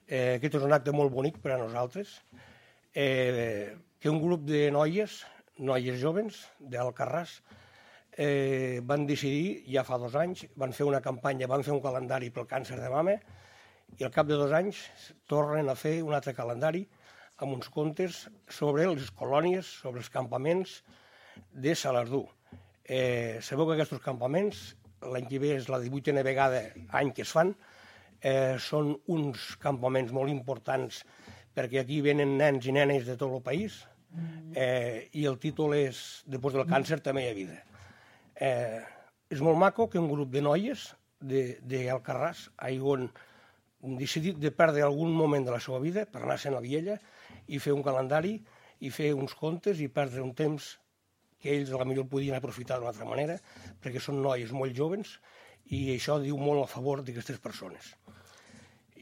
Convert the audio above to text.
Aquest és un acte molt bonic per a nosaltres, que un grup de noies jovens d'Alcarràs, van decidir, ja fa 2 anys, van fer una campanya, van fer un calendari pel càncer de mama, i al cap de 2 anys tornen a fer un altre calendari amb uns contes sobre les colònies, sobre els campaments de Salardú. Sabeu que aquests campaments, l'any que ve és la 18a vegada any que es fan, són uns campaments molt importants perquè aquí venen nens i nenes de tot el país, i el títol és Després del càncer també hi ha vida. És molt maco que un grup de noies d'Alcarràs hagin decidit de perdre algun moment de la seva vida per anar-se'n a Viella i fer un calendari i fer uns contes i perdre un temps que ells potser podien aprofitar d'una altra manera, perquè són noies molt joves i això diu molt a favor d'aquestes persones.